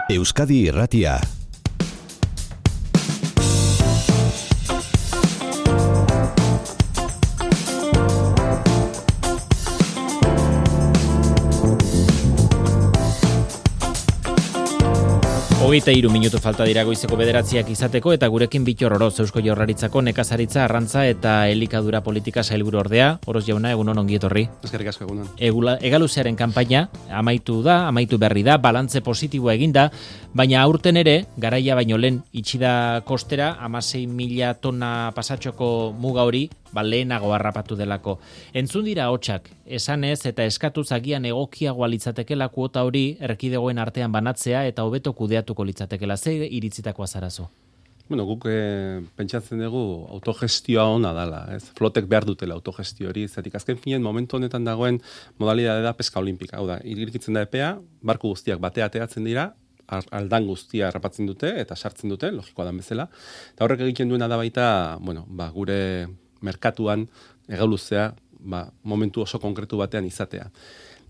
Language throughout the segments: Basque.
Euskadi Irratia. Hogeita 3 minutu falta dira goizeko 9 izateko eta gurekin Bittor Oroz, Eusko Jaurlaritzako nekazaritza, arrantza eta elikadura politika sailburu ordea. Oroz jauna, egunon, ongi etorri. Eskerrik asko, egunon. Egaluzearen kanpaina amaitu berri da, balantze positiboa eginda, baina aurten ere, garaia baino lehen itxida kostera, 16.000 tona pasatxoko muga hori, lehenago harrapatu delako. Entzun dira hotsak, esanez eta eskatuz agian egokiagoa litzatekela kuota hori erkidegoen artean banatzea eta hobeto kudeatuko litzatekela. Ze iritzitakoa zarazo? Bueno, guk pentsatzen dugu autogestioa ona dala, ez? Flotek behar dutela autogestio hori, zetik azken finean momentu honetan dagoen modalidade da peska olimpika. Hau da, irekitzen da epea, barku guztiak batea ateratzen dira, aldan guztia harrapatzen dute eta sartzen dute, logikoa dan bezala. Eta horrek egiten duena da baita, gure merkatuan egauluzea momentu oso konkretu batean izatea.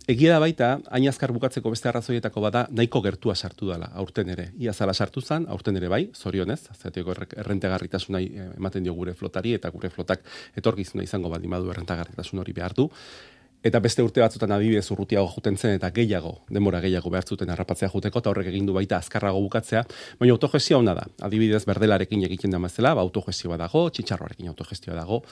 Egia da baita, hain azkar bukatzeko beste arrazoietako bada, nahiko gertua sartu dela, aurten ere. Ia zala sartu zen, aurten ere bai, zorionez, azateko errentagarritasuna ematen dio gure flotari, eta gure flotak etorkizuna izango baldin badu errentagarritasun hori behar du. Eta beste urte batzutan adibidez urrutiago juten zen eta denbora gehiago behar zuten harrapatzea juteko, eta horrek egin du baita azkarrago bukatzea, baina autogestioa ona da. Adibidez berdelarekin egiten da mazela, autogestioa dago, txitxarroarekin autogestioa dago,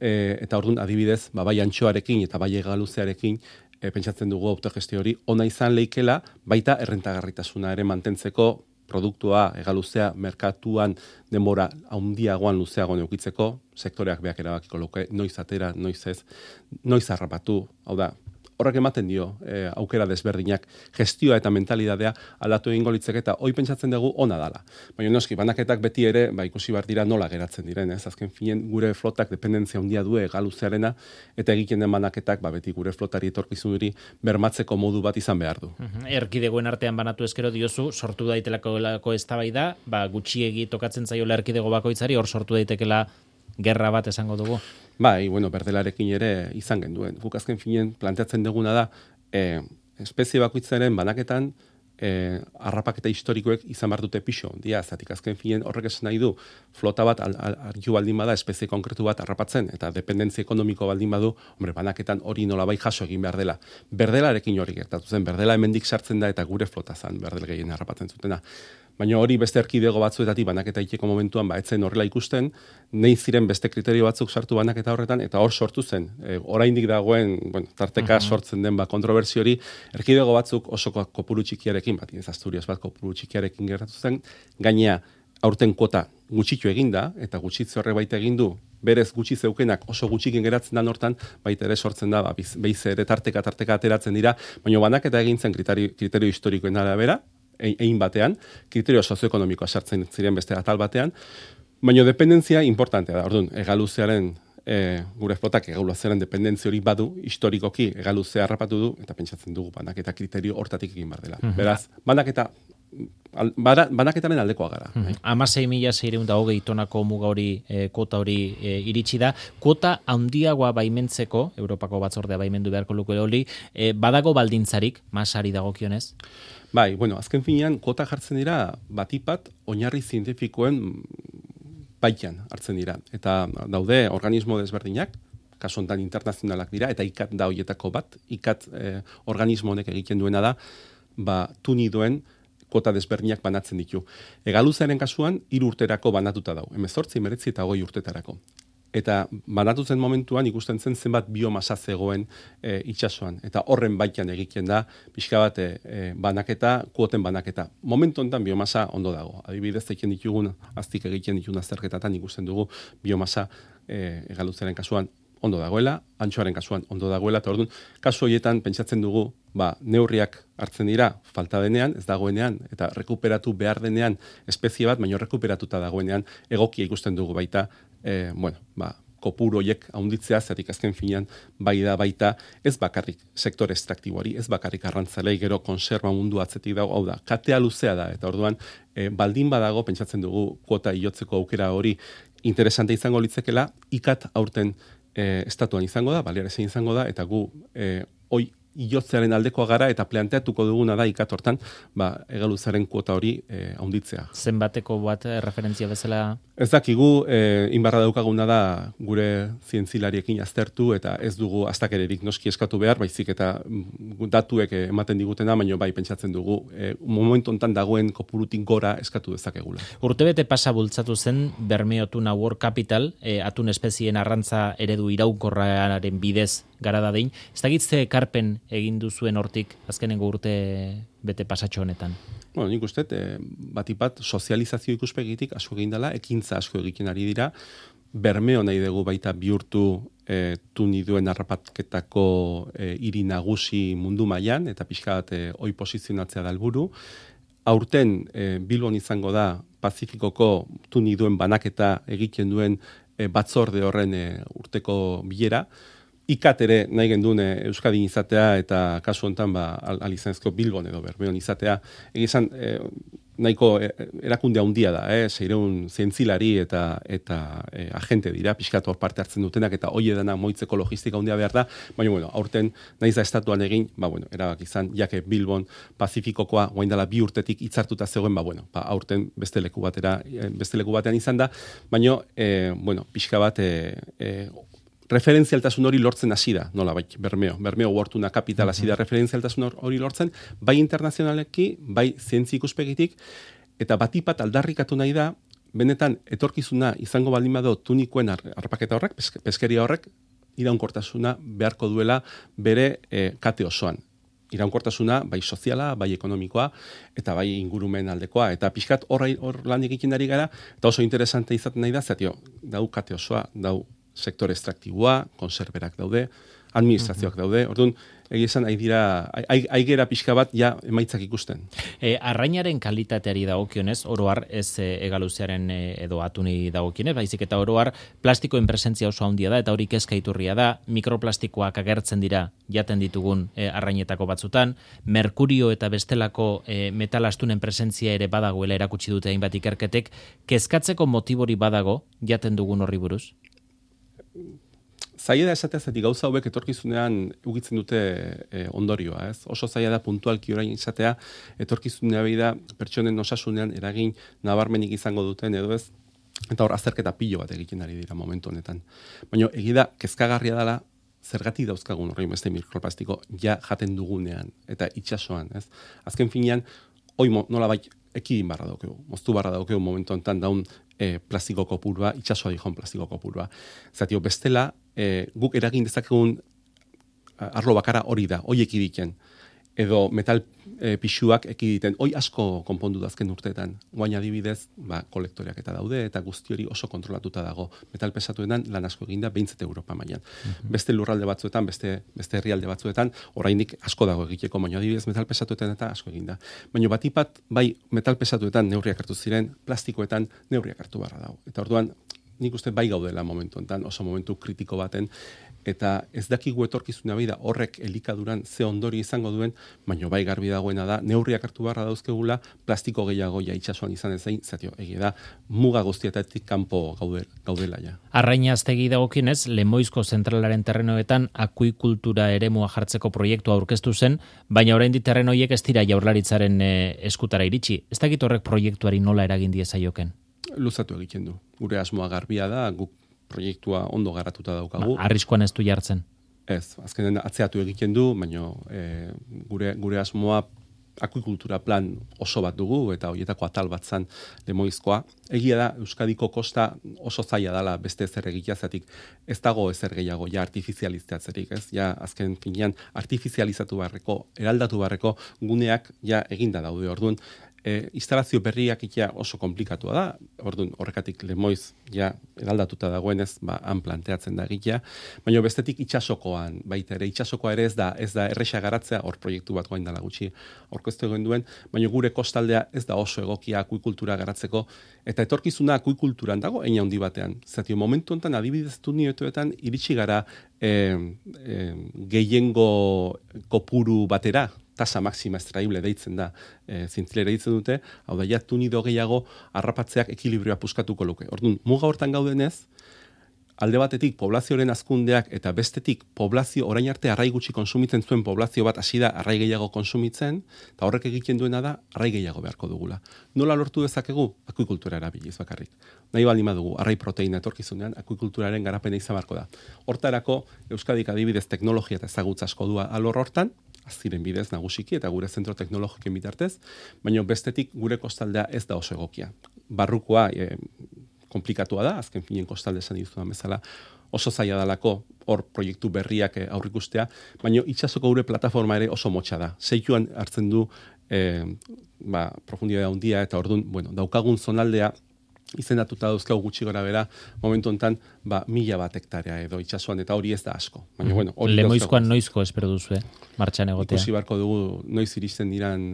eta orduan adibidez, bai antxoarekin eta bai egaluzearekin pentsatzen dugu autogestio hori ona izan leikela, baita errentagarritasuna ere mantentzeko produktua, egaluzea, merkatuan denbora handiagoan luzeagoan eukitzeko, sektoreak beak erabakiko luke, noiz atera, noiz ez, noiz harrapatu, hau da, horrek ematen dio aukera desberdinak, gestioa eta mentalidadea aldatu egingo litzeke eta hoi pentsatzen dugu ona dala. Baina noski, banaketak beti ere, ikusi behar dira nola geratzen diren, ez? Azken finen gure flotak dependentzia handia du egaluzearena eta egiten den banaketak beti gure flotari etorkizun hori bermatzeko modu bat izan behar du. Erkidegoen artean banatu eskero diozu, sortu daitelako eztabaida, gutxiegi tokatzen zaiola erkidego bakoitzari, hor sortu daitekela gerra bat esango dugu. Berdelarekin ere izan genduen. Guk azken finen planteatzen duguna da, espezie bakoitzaren banaketan, harrapaketa historikoek izan behar dute pixo. Zatik azken finen horrek esan nahi du, flota bat argiu baldin bada, espezie konkretu bat harrapatzen, eta dependentzia ekonomiko baldin badu, banaketan hori nolabai jaso egin behar dela. Berdelarekin hori gertatu zen, berdela hemendik sartzen da eta gure flota zen, berdel gehien harrapatzen zutena. Baina hori beste erkidego batzuetatik banaketa iteko momentuan etzen horrela ikusten, nahi ziren beste kriterio batzuk sartu banaketa horretan, eta hor sortu zen. Oraindik dagoen, tarteka sortzen den kontrobersio hori, erkidego batzuk oso kopuru txikiarekin, ez Asturias bat kopuru txikiarekin gertatu zen, gainea aurten kuota gutxitu eginda, eta gutxitze horre baita egin du, berez gutxi zeukenak oso gutxikin geratzen da hortan, baita ere sortzen da, behize ere tarteka ateratzen dira, baina banaketa egintzen kriterio historikoen arabera, egin batean, kriterio sozioekonomikoa sartzen ziren beste atal batean, baina dependentzia importantea da. Orduan, egaluzearen, gure flotak egaluzearen dependentzia hori badu, historikoki egaluzea harrapatu du, eta pentsatzen dugu banaketa kriterio hortatik egin behar dela. Beraz, banaketaren aldekoa gara. 16.620 tonako muga hori, kuota hori iritsi da. Kuota handiagoa baimentzeko, Europako batzordea baimendu beharko luke hori, badago baldintzarik, masari dagokionez? Azken finean, kuota jartzen dira, batipat, oinarri zientifikoen baitan hartzen dira. Eta daude organismo desberdinak, kasu honetan internazionalak dira, eta ikat da hoietako bat, ikat organismo honek egiten duena da, tunidoen kuota desberdinak banatzen ditu. Egaluzearen kasuan, 3 urterako banatuta dau, 18, 19 eta 20 urtetara. Eta banatu zen momentuan ikusten zen zenbat biomasa zegoen itsasoan. Eta horren baitan egiten da, pixka bat banaketa, kuoten banaketa. Momentu honetan biomasa ondo dago. Adibidez, aztik egiten ditugun azterketatan ikusten dugu biomasa egaluzaren kasuan ondo dagoela, antxoaren kasuan ondo dagoela, eta orduan, kasu horietan pentsatzen dugu, neurriak hartzen dira, falta denean, ez dagoenean, eta rekuperatu behar denean espezie bat, baina rekuperatuta dagoenean, egokia ikusten dugu baita, kopuru horiek haunditzea, zetik azken finean bai da baita, ez bakarrik sektore estraktiboari, ez bakarrik arrantzalei, gero konserba mundu atzetik dago, hau da, katea luzea da, eta orduan, baldin badago, pentsatzen dugu, kuota iotzeko aukera hori interesante izango litzekela, ikat aurten estatuan izango da, Balearezen izango da, eta gu hoi iotzearen aldekoa gara eta planteatuko duguna da ikatortan, egaluzaren kuota hori handitzea. Zenbateko bat referentzia bezala? Ez dakigu, inbarra daukaguna da gure zientzilariekin aztertu eta ez dugu astakererik noski eskatu behar, baizik eta datuek ematen digutena, baina bai pentsatzen dugu momentu hontan dagoen kopurutik gora eskatu dezakegula. Urtebete pasa bultzatu zen Bermeo Tuna World Capital, atun espezien arrantza eredu iraunkorraren bidez gara dadein. Ez dakitze ekarpen egin duzuen hortik azkenengo urte bete pasatxo honetan? Bueno, nik uste, batipat sozializazio ikuspegitik asko egin dela, ekintza asko egiten ari dira, Bermeo nahi dugu baita bihurtu tuniduen harrapatketako hiri nagusi mundu mailan eta pixka bat hoi posizionatzea da helburu. Aurten Bilbon izango da Pazifikoko tuniduen banaketa egiten duen batzorde horren urteko bilera. Ikat ere nahi gendun Euskadin izatea eta kasu honetan alizanezko Bilbon edo Bermeon izatea. Egizan nahiko erakunde handia da, 600 zientzilari eta agente dira, pixkat hor parte hartzen dutenak eta hoi edana moitzeko logistika handia behar da, baina aurten naiz da estatuan egin, erabak izan, jake Bilbon Pazifikokoa guaindala 2 urtetik hitzartuta zegoen, aurten beste leku batean izan da, baina pixka bat referentzialtasun hori lortzen hasi da, nola Bermeo Wortuna Capital hasi da referentzialtasun hori lortzen, bai internazionaleki, bai zientzi ikuspegitik, eta batipat aldarrikatu nahi da, benetan etorkizuna izango baldin bado tunikoen harrapaketa horrek, peskeria horrek, iraunkortasuna beharko duela bere kate osoan. Iraunkortasuna, bai soziala, bai ekonomikoa, eta bai ingurumen aldekoa, eta pixkat hor lan egiten ari gara, eta oso interesante izaten nahi da, dau kate osoa, dau sektore estraktiboa, konserberak daude, administrazioak daude, orduan, egizan, aigera pixka bat, emaitzak ikusten. Arrainaren kalitateari dagokionez, oroar ez egaluzearen edo atuni dagokionez, baizik eta oroar plastikoen presentzia oso handia da, eta hori kezka iturria da, mikroplastikoak agertzen dira jaten ditugun arrainetako batzutan, merkurio eta bestelako metalastunen presentzia ere badagoela erakutsi dute hainbat ikerketek, kezkatzeko motibori badago jaten dugun horri buruz? Zaila da esatea zetik gauza hauek etorkizunean ugitzen dute ondorioa, ez? Oso zaila da puntualki orain izatea etorkizunea da pertsonen osasunean eragin nabarmenik izango duten edo ez, eta hor azterketa pilo bat egiten ari dira momentu honetan. Baina egida kezkagarria dela zergatik dauzkagun horrein beste mikroplastiko jaten dugunean eta itsasoan, ez? Azken finean, hoi nolabait ekidin barra daukegu, moztu barra daukegu momentu honetan daun plastiko kopurua, itsasoa dijon plastiko kopurua. Zatio, bestela, guk eragin dezakegun arlo bakara hori da, hoi ekiditen. Edo metal pixuak ekiditen, hoi asko konpondu da azken urteetan. Guain adibidez, kolektoreak eta daude, eta guzti hori oso kontrolatuta dago. Metal pesatuetan lan asko eginda, behintzete Europa mailan. Beste lurralde batzuetan, beste herrialde batzuetan, oraindik asko dago egiteko, baina adibidez metal pesatuetan eta asko eginda. Baina batipat, bai metal pesatuetan neurriak hartu ziren, plastikoetan neurriak hartu barra dago. Eta orduan, nik uste bai gaudela momentu enten, oso momentu kritiko baten, eta ez dakigu etorkizuna da horrek elikaduran ze ondori izango duen, baina bai garbi dagoena da, neurriak hartu barra dauzkegula, plastiko gehiago itsasoan izan ezein, zatio, egia da, muga guztietatik kanpo gaudela ja. Arrainaztegi dagokienez, Lemoizko zentralaren terrenoetan akuikultura eremua jartzeko proiektua aurkeztu zen, baina oraindik terreno horiek ez dira Jaurlaritzaren eskutara iritsi. Ez dakit horrek proiektuari nola eragin diezaioken? Luzatu egiten du. Gure asmoa garbia da, guk proiektua ondo garatuta daukagu. Arriskuan ez du jartzen? Ez, azkenen atzeatu egiten du, baina gure asmoa akuikultura plan oso bat dugu, eta horietako atal bat zan Lemoizkoa. Egia da, Euskadiko kosta oso zaila dela beste ezer egiteazatik, ez dago ezer gehiago, artifizializatzerik, ez? Azken finean, artifizializatu barreko, eraldatu barreko guneak eginda daude, orduan, instalazio berriak oso komplikatua da, orduan horrekatik Lemoiz eraldatuta dagoenez, han planteatzen da egitea, baina bestetik itsasokoan, baita ere, itsasokoa ere ez da erresa garatzea, hor proiektu bat goain dela gutxi aurkeztu egin duen, baina gure kostaldea ez da oso egokia akuikultura garatzeko, eta etorkizuna akuikulturan dago, eina handi batean. Zatio, momentu honetan adibidez tunioetan iritsi gara gehiengo kopuru batera, tasa maxima extraible deitzen da, zientzilera deitzen dute, hau da, tunido gehiago harrapatzeak ekilibrioa puskatuko luke. Orduan, muga hortan gaudenez, alde batetik poblazioaren hazkundeak eta bestetik poblazio orain arte arrai gutxi konsumitzen zuen poblazio bat hasi da arrai gehiago konsumitzen, eta horrek egiten duena da arrai gehiago beharko dugula. Nola lortu dezakegu? Akuikultura erabiliz bakarrik. Nahi baldin badugu arrai proteina etorkizunean akuikulturaren garapena izan beharko da. Hortarako Euskadik adibidez teknologia eta ezagutza asko du alor hortan, aziren bidez nagusiki eta gure zentro teknologikoen bitartez, baina bestetik gure kostaldea ez da oso egokia. Barrukoa komplikatua da, azken finen kostalde esan dizudan bezala, oso zaila dalako hor proiektu berriak aurrikustea, baina itsasoko gure plataforma ere oso motxa da. Seikuan hartzen du profundidade handia eta ordun, daukagun zonaldea izendatuta dauzkagu gutxi gora bera, momentu honetan, 1000 hektarea edo itsasoan, eta hori ez da asko. Baina, Lemoizkoan noizko espero duzu, martxan egotea? Ikusi barko dugu, noiz iristen diran...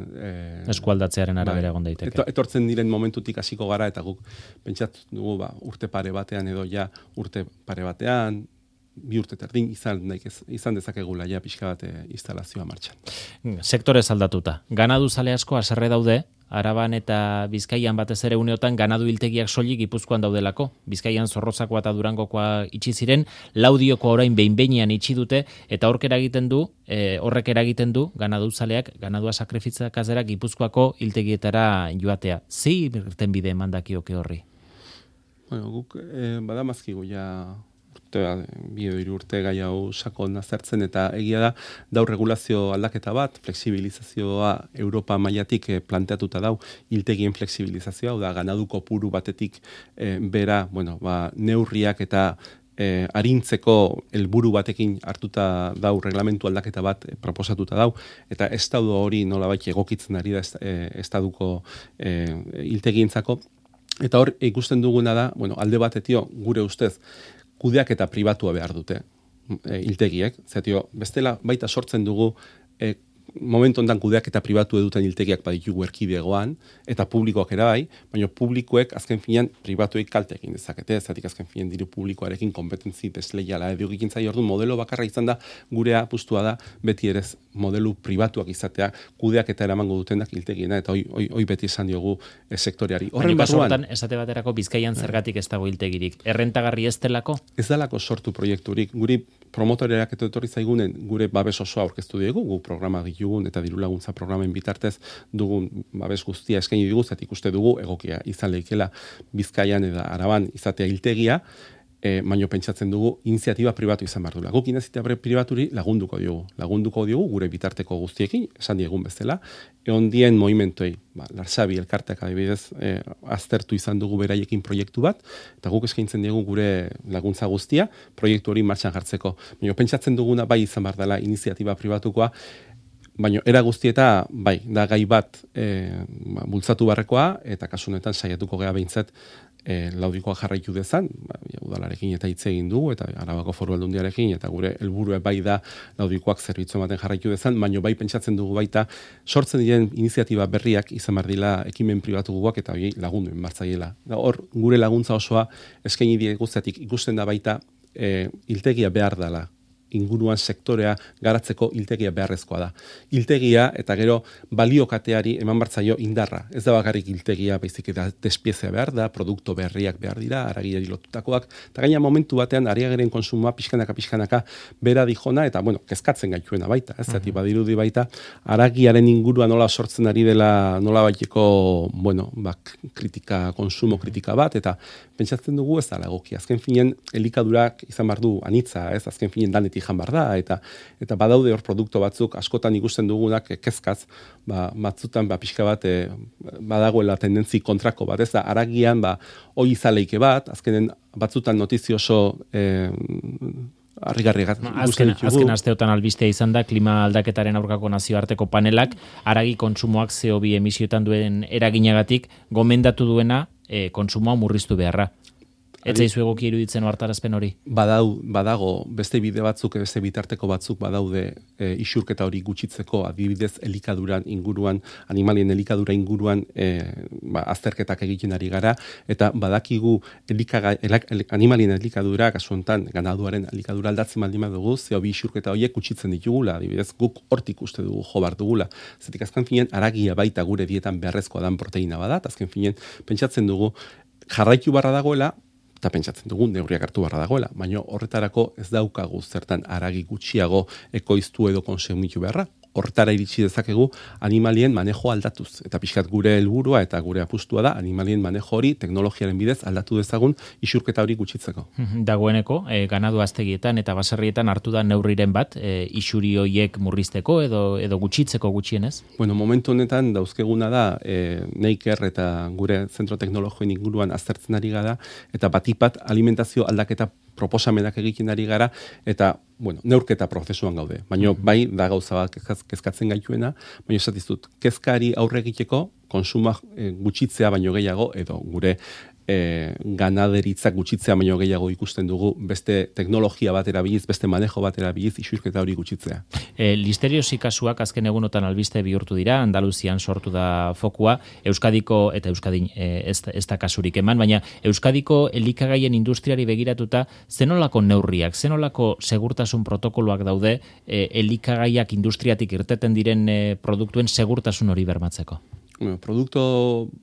eskualdatzearen arabera egon daiteke. Etortzen diren momentutik hasiko gara, eta guk pentsatu dugu, urte pare batean edo ja, urte pare batean, 2 urte terdin izan dezakegula ja pixka bat instalazioa martxan. Sektorez aldatuta. Ganadu zale asko haserre daude, Araban eta Bizkaian batez ere uneotan ganadu hiltegiak soilik Gipuzkoan daudelako. Bizkaian Zorrozakoa eta Durangokoa itxi ziren, Laudiokoa orain behin-behinean itxi dute, eta horrek eragiten du ganaduzaleak ganadua sakrifitzakazera Gipuzkoako hiltegietara joatea. Zi irtenbide emandakioke horri? Guk badamazkigu ja urte gai hau sakon azertzen, eta egia da regulazio aldaketa bat, fleksibilizazioa Europa mailatik planteatuta dau, hiltegien fleksibilizazioa, da ganadu kopuru batetik bera, neurriak eta arintzeko helburu batekin hartuta dau, reglamentu aldaketa bat proposatuta dau, eta estadu hori nolabait egokitzen ari da estaduko hiltegientzako, eta hor ikusten duguna da, alde batetio gure ustez, kudeak eta pribatua behar dute hiltegiek. Bestela baita sortzen dugu momentu ondan kudeak eta pribatu eduten hiltegiak baditugu erkidegoan, eta publikoak ere bai, baina publikoek azken finean pribatuek kalte egin dezakete, zatik azken finean diru publikoarekin kompetentzi desleiala edo egin zai, orduan modelo bakarra izan da, gurea apustua da, beti ere modelu pribatuak izatea, kudeak eta eramango dutenak hiltegiena, eta hoi beti esan diogu sektoreari. Horren barruan, esate baterako Bizkaian zergatik ez dago hiltegirik. Errentagarri ez delako? Ez dalako sortu proiekturik. Guri promotoreak etorri zaigunen gure babes osoa aurkeztu diegu, gu programa ditugun eta diru laguntza programen bitartez dugun babes guztia eskaini digu, zatik uste dugu egokia izan leikela Bizkaian eta Araban izatea hiltegia, baino pentsatzen dugu iniziatiba pribatu izan behar duela. Guk iniziatiba pribaturi lagunduko diogu gure bitarteko guztiekin, esan diegun bezala, ondien movimentuei, Larsabi elkarteak adibidez aztertu izan dugu beraiekin proiektu bat, eta guk eskaintzen diegu gure laguntza guztia, proiektu hori martxan jartzeko. Baina pentsatzen duguna bai izan behar dela iniziatiba pribatukoa, baina era guztieta bai, da gai bat bultzatu barrekoa, eta kasunetan saiatuko gea behintzat Laudikoa jarraitu dezan, udalarekin eta hitz egin dugu, eta Arabako Foru Aldundiarekin, eta gure helburua bai da Laudikoak zerbitzu ematen jarraitu dezan, baina bai pentsatzen dugu baita sortzen diren iniziatiba berriak izan behar dila ekimen pribatu guak eta lagundu enbartzaiela. Hor, gure laguntza osoa eskaini die guztiatik ikusten da baita hiltegia behar dela. Inguruan sektorea garatzeko hiltegia beharrezkoa da. Hiltegia eta gero baliokateari eman bartzaio indarra. Ez da bakarrik hiltegia, baizik eta despiezea behar da, produkto berriak behar dira, haragiari lotutakoak, eta gaina momentu batean hariageren konsumoa pixkanaka bera dijona, eta kezkatzen gaituena baita, ez zati badirudi baita, haragiaren inguruan nola sortzen ari dela nola baiteko, konsumo kritika bat, eta pentsatzen dugu ez da egokia. Azken finen, elikadurak izan behar du anitza, ez azken finen danetik jan behar da, eta badaude hor produktu batzuk askotan ikusten dugunak kezkaz, batzutan pixka bat badagoela tendentzi kontrako bat, ez da, haragian hoi izaleike bat, azkenen batzutan notizio oso harrigarriak azken asteotan albistea izan da klima aldaketaren aurkako nazioarteko panelak haragi kontsumoak CO2 emisioetan duen eraginagatik gomendatu duena kontsumoa murriztu beharra. Ez zaizu egoki iruditzen hartarazpen hori? Badago, beste bide batzuk, beste bitarteko batzuk badaude isurketa hori gutxitzeko, adibidez elikaduran inguruan, animalien elikadura inguruan azterketak egiten ari gara, eta badakigu animalien elikadura, kasu honetan, ganaduaren elikadura aldatzen baldin badugu, CO2 isurketa horiek gutxitzen ditugula, adibidez guk hortik uste dugu jo bar dugula. Zetik azken finean, haragia baita gure dietan beharrezkoa dan proteina badat, azken finean, pentsatzen dugu, jarraitu barra dagoela, eta pentsatzen dugu neurriak hartu barra dagoela, baina horretarako ez daukagu zertan haragi gutxiago ekoiztu edo konsumitu beharra. Horretara iritsi dezakegu animalien manejo aldatuz. Eta pixkat gure helburua eta gure apustua da animalien manejo hori teknologiaren bidez aldatu dezagun isurketa hori gutxitzeko. Dagoeneko, ganadu aztegietan eta baserrietan hartu da neurriren bat, isuri hoiek murrizteko edo gutxitzeko gutxienez? Bueno, momentu honetan dauzkeguna da Neiker eta gure zentro teknologioen inguruan aztertzen ari gara eta batipat alimentazio aldaketa proposamenak egiten ari gara eta neurketa prozesuan gaude. Baina bai da gauza bat kezkatzen gaituena, baina esatizut, kezkari aurre egiteko konsuma gutxitzea baino gehiago edo gure ganaderitzak gutxitzea baino gehiago ikusten dugu beste teknologia bat erabiliz, beste manejo bat erabiliz isurketa hori gutxitzea. Listeriosi kasuak azken egunotan albiste bihurtu dira, Andaluzian sortu da fokua, Euskadiko, eta Euskadin ez da kasurik eman, baina Euskadiko elikagaien industriari begiratuta, zenolako neurriak, zenolako segurtasun protokoloak daude elikagaiak industriatik irteten diren produktuen segurtasun hori bermatzeko? Produkto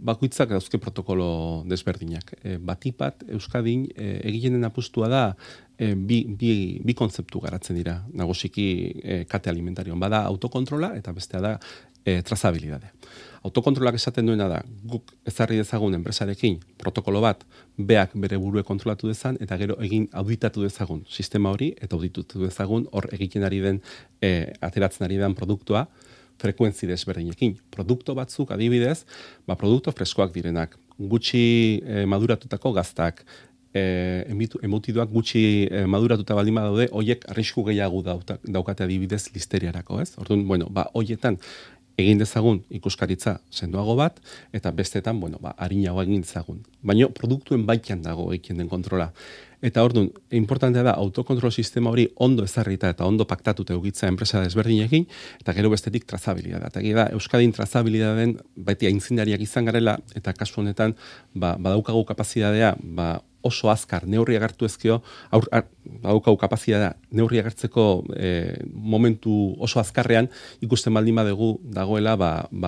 bakoitzak dauzke protokolo desberdinak. Batipat, Euskadin, egiten apustua da bi kontzeptu garatzen dira, nagusiki kate alimentarion. Bada autokontrola eta bestea da trazabilidade. Autokontrolak esaten duena da, guk ezarri dezagun enpresarekin protokolo bat, beak bere burue kontrolatu dezan, eta gero egin auditatu dezagun sistema hori, eta auditatu dezagun hor egiten ari den, ateratzen ari den produktua, frekuentzi desberdinekin. Produkto batzuk adibidez, produkto freskoak direnak, gutxi maduratutako gaztak, emutiduak gutxi maduratuta baldin badaude, hoiek arrisku gehiago daukate adibidez listeriarako, ez? Orduan, hoietan egin dezagun ikuskaritza sendoago bat, eta bestetan, harinago egin dezagun. Baina produktuen baitan dago egiten den kontrola. Eta orduan, importantea da autokontrol sistema hori ondo ezarrita eta ondo paktatuta eukitza enpresa desberdinekin, eta gero bestetik trazabilidadea. Eta da, Euskadin trazabilidaden beti aintzindariak izan garela, eta kasu honetan, badaukagu kapazitatea, oso azkar neurriak hartu ezkeo, badaukagu kapazitatea neurriak hartzeko momentu oso azkarrean, ikusten baldin badugu dagoela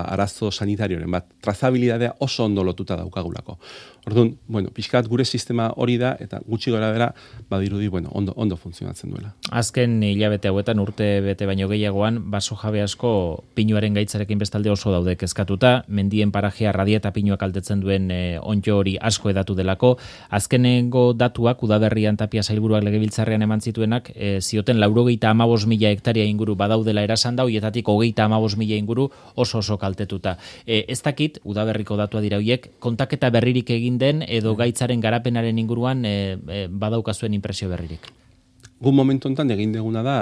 arazo sanitarioren bat. Trazabilidadea oso ondo lotuta daukagulako. Orduan, pixkat gure sistema hori da, eta gutxi gora bera, badirudi, ondo funtzionatzen duela. Azken hilabete hauetan urte bete baino gehiagoan, baso jabe asko pinuaren gaitzarekin bestalde oso daude kezkatuta, mendien parajea radia eta pinuak altetzen duen onddo hori asko edatu delako. Azkenengo datuak, udaberrian Tapia sailburuak legebiltzarrean eman zituenak, zioten 95.000 hektaria inguru badaudela erasan da, hoietatik 35.000 inguru oso kaltetuta. Ez dakit, udaberriko datua dira hoiek, kontaketa berririk egin den edo gaitzaren garapenaren inguruan badaukazuen impresio berririk? Gu momentu honetan egin deguna da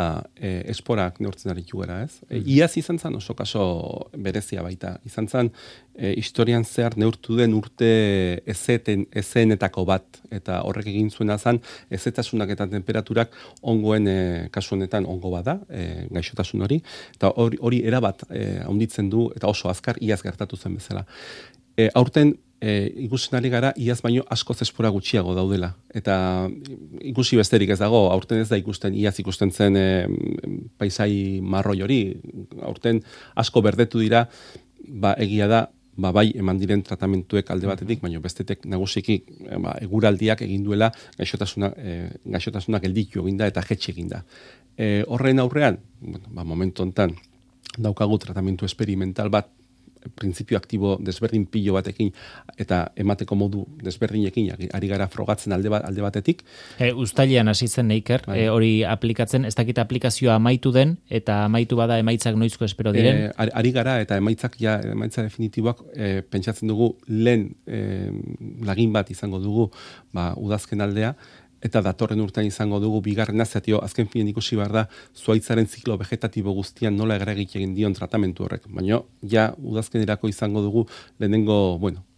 esporak neurtzen aritu gara, ez? Iaz izan zen oso kaso berezia baita. Izan zen historian zehar neurtu den urte ezenetako bat, eta horrek egin zuena zen ezetasunak eta temperaturak ongoen kasu honetan ongo bada, gaixotasun hori, eta hori erabat handitzen du eta oso azkar iaz gertatu zen bezala. Aurten ikusten ari gara, iaz baino askoz espora gutxiago daudela. Eta ikusi besterik ez dago, aurten ez da ikusten, iaz ikusten zen paisai marroi hori, aurten asko berdetu dira, egia da, bai eman diren tratamentuek alde batetik, baina bestetek nagusiki eguraldiak egin duela gaixotasunak gelditu eginda eta jetxe eginda. Horren aurrean, momentu honetan, daukagu tratamentu experimental bat, printzipio aktibo desberdin pilo batekin eta emateko modu desberdinekin ari gara frogatzen alde batetik. Uztailean hasi zen Neiker, hori aplikatzen, ez dakit aplikazioa amaitu den eta amaitu bada emaitzak noizko espero diren? Ari gara eta emaitza definitiboak pentsatzen dugu lehen lagin bat izango dugu udazken aldea, eta datorren urtean izango dugu bigarren azatio, azken finen ikusi behar da, zuaitzaren ziklo vegetatibo guztian nola eragik egin dion tratamentu horrek. Baina, udazkenerako izango dugu, lehenengo,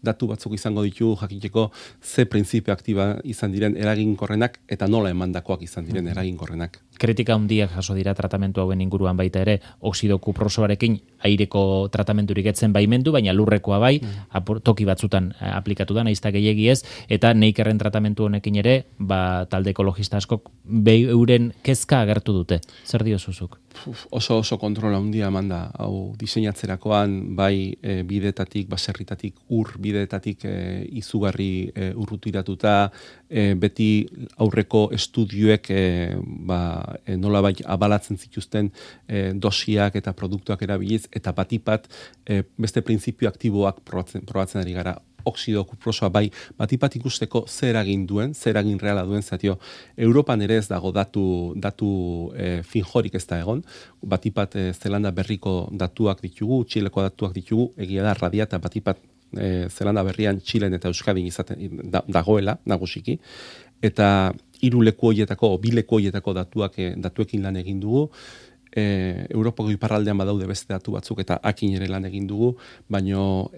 datu batzuk izango ditu jakiteko ze printzipio aktiba izan diren eraginkorrenak eta nola emandakoak izan diren eraginkorrenak. Kritika handiak jaso dira tratamentu hauen inguruan baita ere, oxido kuprosoarekin aireko tratamenturik etzen baimendu, baina lurrekoa bai, toki batzutan aplikatu da, naizta gehiegi ez, eta Neikerren tratamentu honekin ere, talde ekologista askok euren kezka agertu dute. Zer diozuzuk? Oso kontrola handia eman da, hau diseinatzerakoan, bai bidetatik, baserritatik, ur ibilbideetatik izugarri urrutiratuta, beti aurreko estudioek nolabait abalatzen zituzten dosiak eta produktuak erabiliz, eta batipat beste printzipio aktiboak probatzen ari gara. Oxido kuprosoa bai, batipat ikusteko zer eragin duen, zer eragin reala duen, zatio, Europan ere ez dago datu finjorik ez da egon, batipat Zelanda berriko datuak ditugu, Txileko datuak ditugu, egia da radiata batipat Zelanda berrian Txilen eta Euskadin izaten dagoela, nagusiki, eta 3 leku horietako, 2 leku horietako datuekin lan egin dugu, Europako iparraldean badaude beste datu batzuk eta akin ere lan egin dugu, baino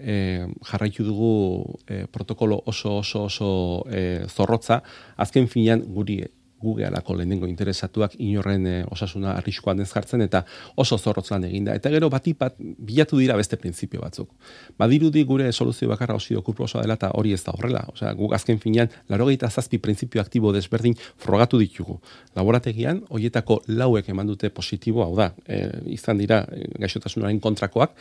jarraitu dugu protokolo oso zorrotza, azken finean guge alako lehenengo interesatuak inorren osasuna arriskoan ez jartzen eta oso zorrotz lan eginda. Eta gero batipat bilatu dira beste printzipio batzuk. Badirudi gure soluzio bakarra oxido kuprosoa dela eta hori ez da horrela. Osea, guk azken finean 97 printzipio aktibo desberdin frogatu ditugu. Laborategian horietako 4 eman dute positibo, hau da, izan dira gaixotasunaren kontrakoak,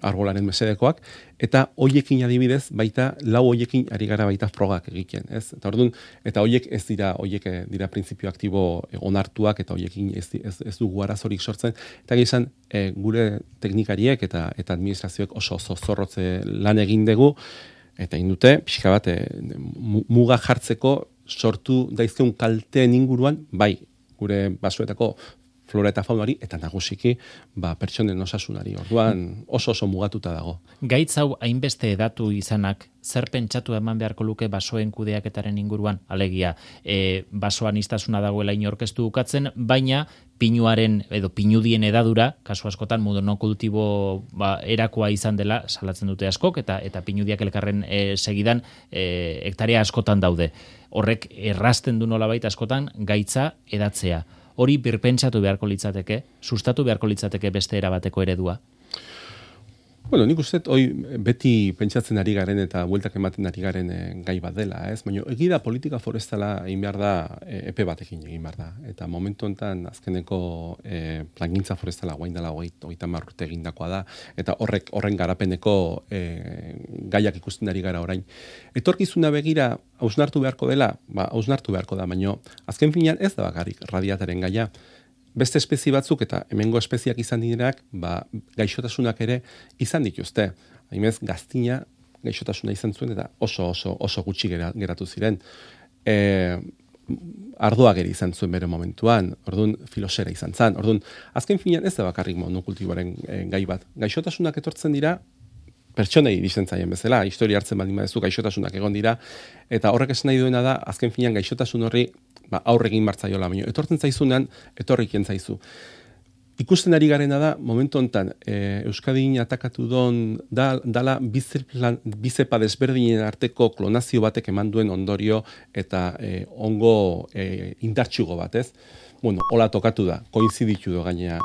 arbolaren mesedekoak, eta hoiekin adibidez baita 4 hoiekin ari gara baita frogak egiten, ez? Eta orduan, eta hoiek ez dira printzipio aktibo onartuak eta hoiekin ez dugu arazorik sortzen, eta gizan gure teknikariek eta administrazioek oso zorrotze lan egin dugu, eta indute, pixka bat, muga jartzeko sortu daizkeun kalteen inguruan, bai, gure basoetako flora eta faunari, eta nagusiki pertsonen osasunari. Orduan oso mugatuta dago. Gaitz hau hainbeste edatu izanak, zer pentsatu eman beharko luke basoen kudeaketaren inguruan? Alegia, basoan istasuna dagoela inorkestu ukatzen, baina pinuaren edo pinudien edadura, kasu askotan monokultibo erakoa izan dela, salatzen dute askok, eta pinudiak elkarren segidan hektarea askotan daude. Horrek errazten du nolabait askotan gaitza edatzea. Hori birpentsatu beharko litzateke, sustatu beharko litzateke beste erabateko eredua? Bueno, nik uste, beti pentsatzen ari garen eta bueltak ematen ari garen gai bat dela, ez? Baina egida politika forestala egin behar da, epe batekin egin behar da. Eta momentu honetan azkeneko plangintza forestala guain dela 30 urte egindakoa da, eta horren garapeneko gaiak ikusten ari gara orain. Etorkizuna begira, hausnartu beharko dela, hausnartu beharko da, baina azken finean ez da bakarrik radiataren gaia. Beste espezie batzuk eta hemengo espeziak izan direnak, gaixotasunak ere izan dituzte. Haimez, gaztina gaixotasuna izan zuen eta oso gutxi geratu ziren. Ardoak ere izan zuen bere momentuan, orduan filosera izan zan. Orduan, azken finean ez da bakarrik monokultiboaren gai bat. Gaixotasunak etortzen dira, pertsonei dizen zaien bezala, historia hartzen baldin badezu gaixotasunak egon dira, eta horrek esan nahi duena da, azken finean gaixotasun horri aurregin martzaiola, baina etortzen zaizunean, etorrikien zaizu. Ikusten ari garena da, momentu honetan, Euskadin atakatu dala bizepa desberdinen arteko klonazio batek eman duen ondorio eta ongo indartsugo bat, ez? Bueno, hola tokatu da, koinziditu do gainea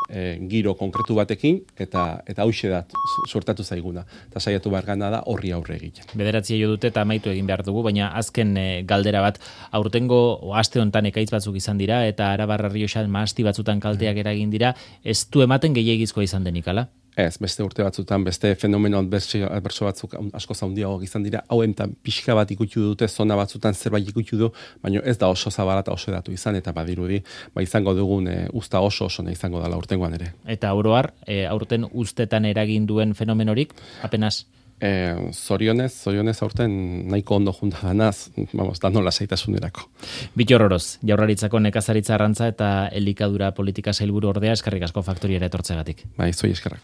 giro konkretu batekin, eta hauxe da sortatu zaiguna. Eta saiatu behar gana da horri aurre egiten. 9 jo dute eta amaitu egin behar dugu, baina azken galdera bat, aurtengo aste honetan ekaitz batzuk izan dira, eta Arabar Errioxan mahasti batzutan kalteak eragin dira, ez du ematen gehiegizkoa izan denik, ala? Ez, beste urte batzutan, beste fenomeno adberso batzuk asko zaundiago izan dira, hauen eta pixka bat ikutu dute, zona batzutan zerbait ikutu du, baina ez da oso zabala eta oso edatu izan, eta badirudi, izango dugun usta oso izango dela urtengoan ere. Eta oroar, aurten ustetan eragin duen fenomenorik, apenas? Zorionez aurten nahiko ondo junta danaz, dano lasaitasunerako. Bittor Oroz, Jaurlaritzako nekazaritza arrantza eta elikadura politika sailburu ordea, eskerrik asko faktoriera etortzegatik. Zoi eskerrak.